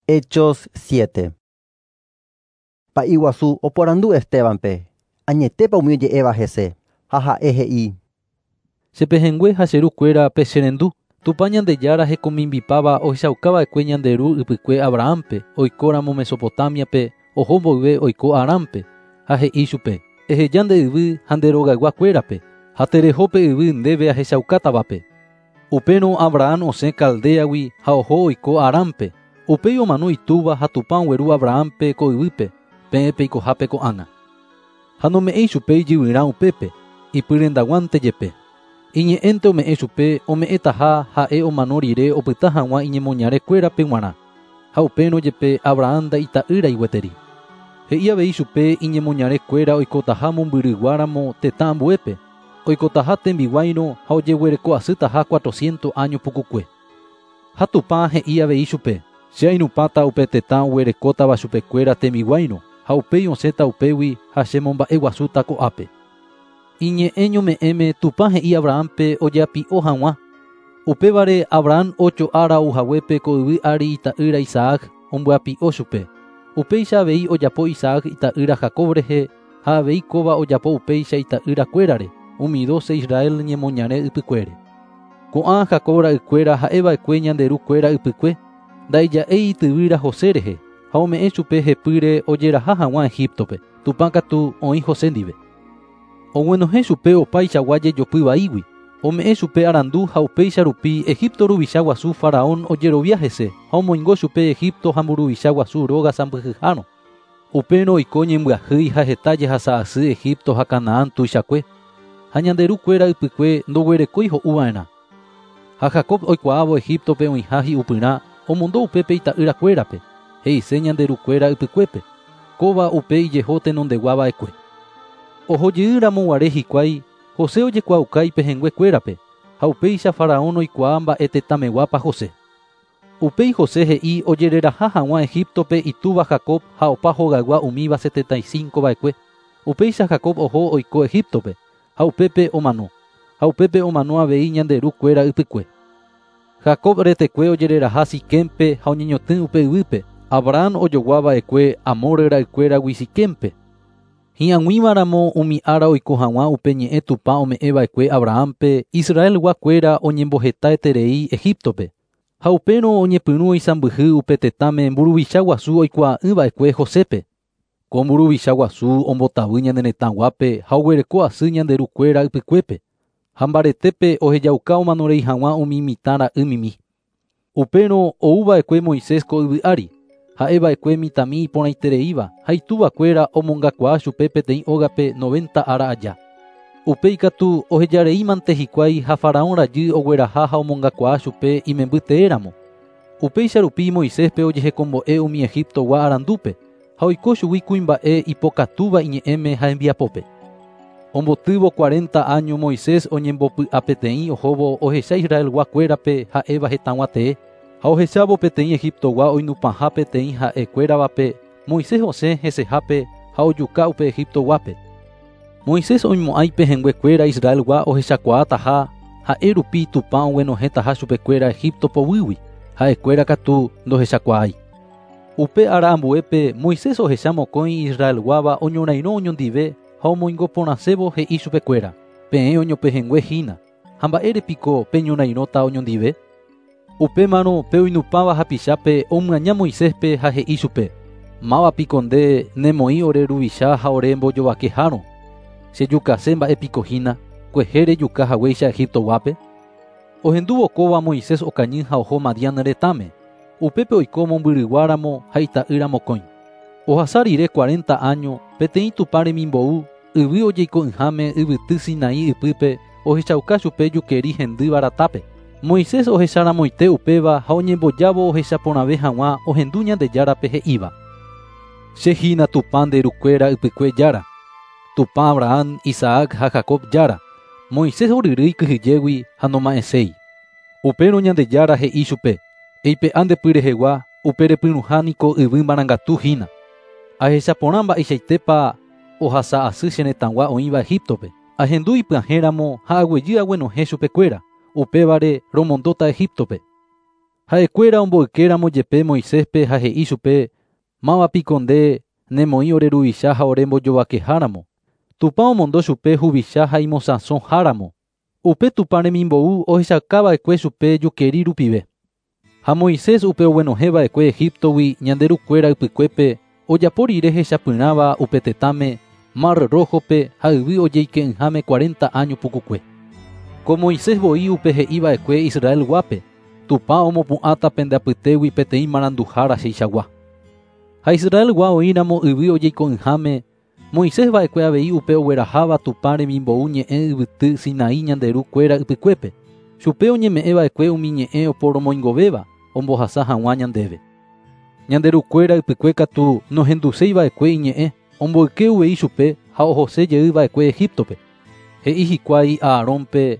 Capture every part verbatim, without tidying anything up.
Hechos siete. Pa'i guasu oporandu Estebanpe, añetépa umi oje'éva hese, ha ha'e he'i. Che pehẽngue ha che rukuéra pecherendu, Tupã Ñandejára hekomimbipáva ohechaukava'ekue ñande ru ypykue Abrahampe, oikóramo Mesopotamiape, oho mboyve oiko Arampe, ha he'i chupe, eheja nde yvy ha nde rogayguakuérape, ha tereho pe yvy ndéve ahechaukátavape. Upérõ Abraham osẽ Caldeagui ha oho oiko Arampe. Upéi omano itúva ha Tupã ogueru Abrahampe ko yvýpe, peẽ peikohápe ko'ág̃a. Ha nome'ẽi chupe ijyvyrã upépe, ipyrendaguánte jepe. Iñe'ẽnte ome'ẽ chupe ome'ẽtaha ha'e omano rire opyta hag̃ua iñemoñarekuérape g̃uarã. Ha upérõ jepe Abraham nda'ita'ýrai gueteri. He'i avei chupe iñemoñarekuéra oikotaha mombyryguáramo tetã ambuépe, oikotaha tembiguáirõ ha ojeguereko asytaha cuatrocientos años pukukue. Ha Tupã he'i avei chupe, che ainupãta upe tetã oguerekótava chupekuéra tembiguáirõ, ha upéi osẽta upégui ha chemomba'eguasúta ko'ápe. Iñe'ẽ ñome'ẽme Tupã he'i Abrahampe ojeapi'o hag̃ua. Upévare Abraham ocho ára ouhaguépe ko yvy ári ita'ýra Isaac ombyapi'o chupe. Upéicha avei ojapo Isaac ita'ýra Jacob rehe ha avei kóva ojapo upéicha ita'yrakuérare, umi doce Israel ñemoñare ypykuére. Ko'ã Jacob ra'ykuéra ha'eva'ekue ñande rukuéra ypykue, ndaija'éi ityvýra José rehe, ha ome'ẽ chupe hepýre ojeraha hag̃ua Egiptope, Tupã katu oĩ José ndive. Oguenohẽ chupe opaichagua jejopy vaígui, ome'ẽ chupe arandu ha upéicha rupi Egipto ruvicha guasu Faraón ojerovia hese ha omoingo chupe Egipto ha mburuvicha guasu róga sãmbyhyhárõ. Upérõ oiko ñembyahýi ha heta jehasa asy Egipto ha Canaán tuichakue, ha ñande rukuéra ypykue ndoguerekói ho'uva'erã. Ha Jacob oikuaávo Egiptope oĩha hi'upyrã omondo upépe ita'yrakuérape, he'ise ñande rukuéra ypykuépe, kóva upe ijeho tenondeguava'ekue. Ohojeýramo guare hikuái, José ojekuaauka ipehẽnguekuérape, ha upéicha Faraón oikuaa mba'e tetãmeguápa José. Upéi José he'i ojereraha hag̃ua Egiptope itúva Jacob ha opa hogaygua umíva setenta y cinco va'ekue. Upéicha Jacob oho oiko Egiptope, ha upépe omano, ha upépe omano avei ñande rukuéra ypykue. Jacob retekue ojereraha Siquempe ha oñeñotỹ upe yvýpe, Abraham ojoguava'ekue Hamor ra'ykuéragui Siquempe. Hi'ag̃uímaramo umi ára oiko hag̃ua upe ñe'ẽ Tupã ome'ẽva'ekue Abrahampe, Israelguakuéra oñembohetaeterei Egiptope. Ha upérõ oñepyrũ oisãmbyhy upe tetãme mburuvicha guasu oikuaa'ỹva'ekue Josépe. Ko mburuvicha guasu ombotavy ñane retãguápe ha oguereko asy ñande rukuéra ypykuépe. Ha mbaretépe ohejauka omanorei hag̃ua umi mitã ra'ymimi. Upérõ ouva'ekue Moisés ko yvy ári, ha'eva'ekue mitãmi iporãitereíva ha ituvakuéra omongakuaa chupe peteĩ ógape noventa ára aja. Upéi katu ohejareímante hikuái ha Faraón rajy ogueraha ha omongakuaa chupe imemby teéramo. Upéicha rupi Moiséspe ojehekombo'e umi Egiptogua arandúpe, ha oiko chugui kuimba'e ipokatúva iñe'ẽme ha hembiapópe. Ombotývo cuarenta años Moisés oñembopy'apeteĩ ohóvo ohecha Israelguakuérape ha'éva hetãgua tee, ha ohechávo peteĩ Egiptogua oinupãha peteĩ ha'ekuéravape, Moisés osẽ hesehápe ha ojuka upe Egiptoguápe. Moisés oimo'ã ipehẽnguekuéra Israelgua ohechakuaataha ha'e rupi Tupã oguenohẽtaha chupekuéra Egipto poguýgui, ha'ekuéra katu ndohechakuaái. Upe ára ambuépe Moisés ohecha mokõi Israelguáva oñorairõ oñondive ha omoingoporãsévo he'i chupekuéra, peẽ oñopehẽngue hína, ha mba'érepiko peñorairõta oñondive. Upémarõ pe oinupãva hapichápe omyaña Moiséspe ha he'i chupe, mávapiko nde nemoĩ ore ruvicha ha ore mbojovakehárõ, chejukase mba'épiko hína, kuehe rejuka haguéicha Egiptoguápe. Ohendúvo kóva Moisés okañy ha oho Madián retãme, upépe oiko mombyryguáramo ha ita'ýra mokõi. Ohasa rire cuarenta años, peteĩ Tupã remimbou, yvy ojeiko'ỹháme yvyty Sinaí ypýpe ohechauka chupe jukeri hendýva ratápe. Moisés ohecharamoite upéva ha oñembojávo ohechaporãve hag̃ua ohendu Ñandejárape he'íva. Che hína Tupã nde rukuéra ypykue jára, Tupã Abraham, Isaac ha Jacob jára. Moisés oryrýi kyhyjégui ha noma'ẽséi. Upérõ Ñandejára he'i chupe, eipe'a nde pyrehegua, upe repyrũha niko yvy marangatu hína. Ahechaporã mba'eichaitépa ohasa asy che retãgua oĩva Egiptope. Ahendu ipyahẽramo ha aguejy aguenohẽ chupekuéra, upévare romondóta Egiptope. Ha'ekuéra omboykéramo jepe Moiséspe ha he'i chupe máva piko nde nemoĩ ore ruvicha ha ore mbojovakeháramo. Tupã omondo chupe huvicha ha imosãsoháramo. Upe Tupã remimbou ohechakava'ekue chupe jukeri rupive. Ha Moisés upe oguenohẽva'ekue Egiptogui ñande rukuéra ypykuépe ojapo rire hechapyrãva upe tetãme Mar Rojope ha yvy ojeike'ỹháme cuarenta año pukukue. Ko Moisés voi upe he'iva'ekue Israelguápe Tupã omopu'ãta pende apytégui peteĩ maranduhára cheichagua. Ha Israelgua oĩramo yvy ojeiko'ỹháme Moisés va'ekue avei upe ogueraháva Tupã remimbou ñe'ẽ yvyty Sinaí ñande rukuéra ypykuépe. Chupe oñeme'ẽva'ekue umi ñe'ẽ oporomoingovéva ombohasa hag̃ua ñandéve. Ñande rukuéra ypykue katu nohenduseiva'ekue iñe'ẽ omboyke uvei chupe ha ohose jeyva'ekue Egiptope. He'i hikuái Aarónpe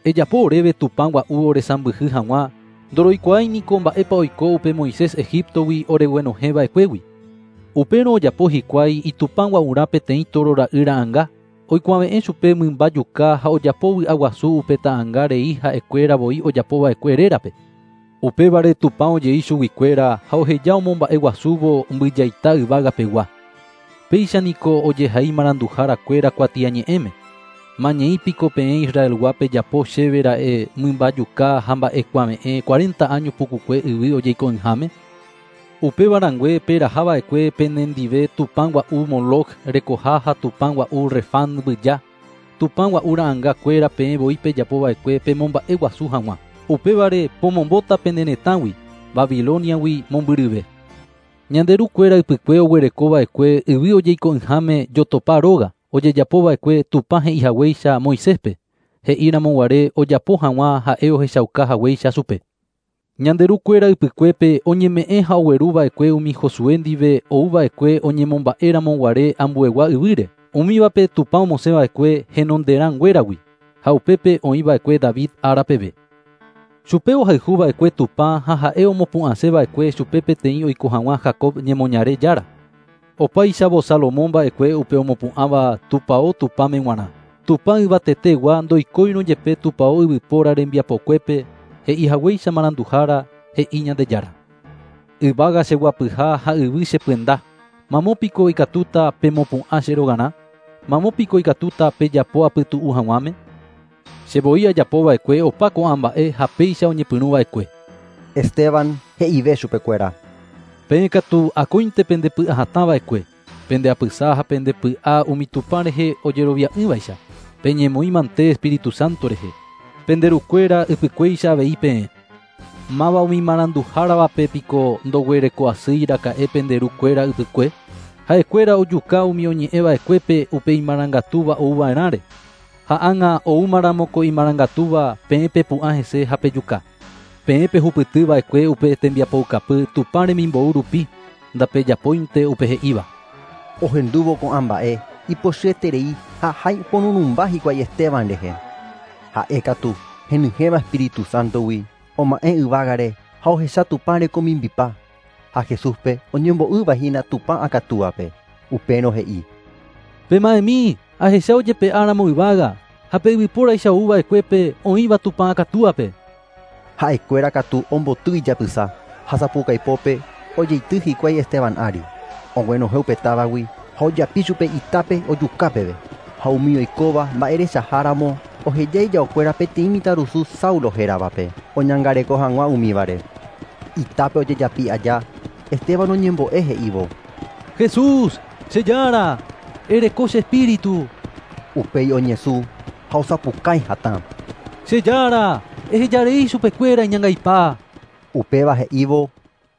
ejapo oréve Tupã gua'u oresãmbyhy hag̃ua ndoroikuaái niko mba'épa oiko upe Moisés Egiptogui oreguenohẽva'ekuégui. Upérõ ojapo hikuái itupã gua'urã peteĩ toro ra'y ra'ãnga oikuave'ẽ chupe mymba juka ha ojapo vy'aguasu upe ta'ãnga rei ha'ekuéra voi ojapova'ekue rérape. Upévare Tupã ojei chuguikuéra ha oheja omomba'eguasúvo mbyjaita yvágapegua. Péicha niko ojehai maranduharakuéra kuatiañe'ẽme. Mañeĩ piko peẽ Israelguápe japo chéve ra'e mymba juka ha mba'ekuave'ẽ cuarenta año pukukue yvy ojeiko'ỹháme. Upéva rangue perahava'ekue penendive Tupã gua'u Moloch rekoha ha Tupã gua'u Refán mbyja. Tupã gua'u ra'ãngakuéra peẽ voi pejapova'ekue pemomba'eguasu hag̃ua. Upévare pomombóta pene retãgui Babiloniagui mombyryve. Ñande rukuéra ypykue oguerekova'ekue yvy ojeiko'ỹháme jotopa róga ojejapova'ekue Tupã he'ihaguéicha Moiséspe he'íramo guare ojapo hag̃ua ha'e ohechauka haguéicha chupe. Ñande rukuéra ypykuépe oñeme'ẽ ha ogueruva'ekue umi Josué ndive ouva'ekue oñemomba'éramo guare ambuegua yvýre. Umívape Tupã omosẽva'ekue henonderãnguéragui ha upépe oĩva'ekue David árapeve. Chupe ohayhuva'ekue Tupã ha ha'e omopu'ãseva'ekue chupe peteĩ oiko hag̃ua Jacob ñemoñare jára. Opáichavo Salomón va'ekue upe omopu'ãva tupão Tupãme g̃uarã. Tupã yvatetegua ndoikóirõ jepe tupão yvypóra rembiapokuépe he'ihaguéicha maranduhára he'i Ñandejára. Yvága cheguapyha ha yvy chepyenda. Mamo piko ikatúta pemopu'ã che rogarã? Mamo piko ikatúta pejapo apytu'u hag̃uáme? Che voi ajapova'ekue opa ko'ã mba'e ha péicha oñepyrũva'ekue. Esteban he'ive chupekuéra. Peẽ katu akóinte pendepy'ahatãva'ekue, pendeapysa ha pendepy'a umi Tupã rehe ojerovia'ỹvaicha, peñemoĩ mante Espíritu Santo rehe, pende rukuéra ypykuéicha avei peẽ. Máva umi maranduháravape piko ndoguereko'asýi raka'e pende rukuéra ypykue, ha'ekuéra ojuka umi oñe'ẽva'ekuépe upe imarangatúva ouva'erãre. Ha ág̃a oúmaramo ko imarangatúva peẽ pepu'ã hese ha pejuka. Peẽ pehupytyva'ekue upe tembiapoukapy Tupã remimbou rupi, ndapejapóinte upe he'íva. Ohendúvo ko'ã mba'e ipochyeterei ha hái oporurũmba hikuái Esteban rehe. Ha'e katu henyhẽva Espíritu Santogui oma'ẽ yvágare ha ohecha Tupã rekomimbipa ha Jesúspe oñembo'ývahína Tupã akatúape. Upérõ he'i: Pema'ẽmi ahecha ojepe'áramo yvága ha pe yvypóraicha ouva'ekuépe oĩva Tupã akatúape. Ha'ekuéra katu omboty ijapysa ha sapukaipópe ojeity hikuái Esteban ári. Oguenohẽ upe távagui ha ojapi chupe itápe ojukápeve. Ha umi oikóva mba'erechaháramo oheja ijaokuéra peteĩ mitãrusu Saulo héravape oñangareko hag̃ua umívare. Itápe ojejapi aja Esteban oñembo'e he'ívo: Jesús, che Jára, ereko che espíritu. Upéi oñesũ ha osapukái hatã. Che Jára, ehejarei chupekuéra iñangaipa. Upéva he'ívo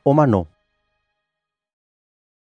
omano.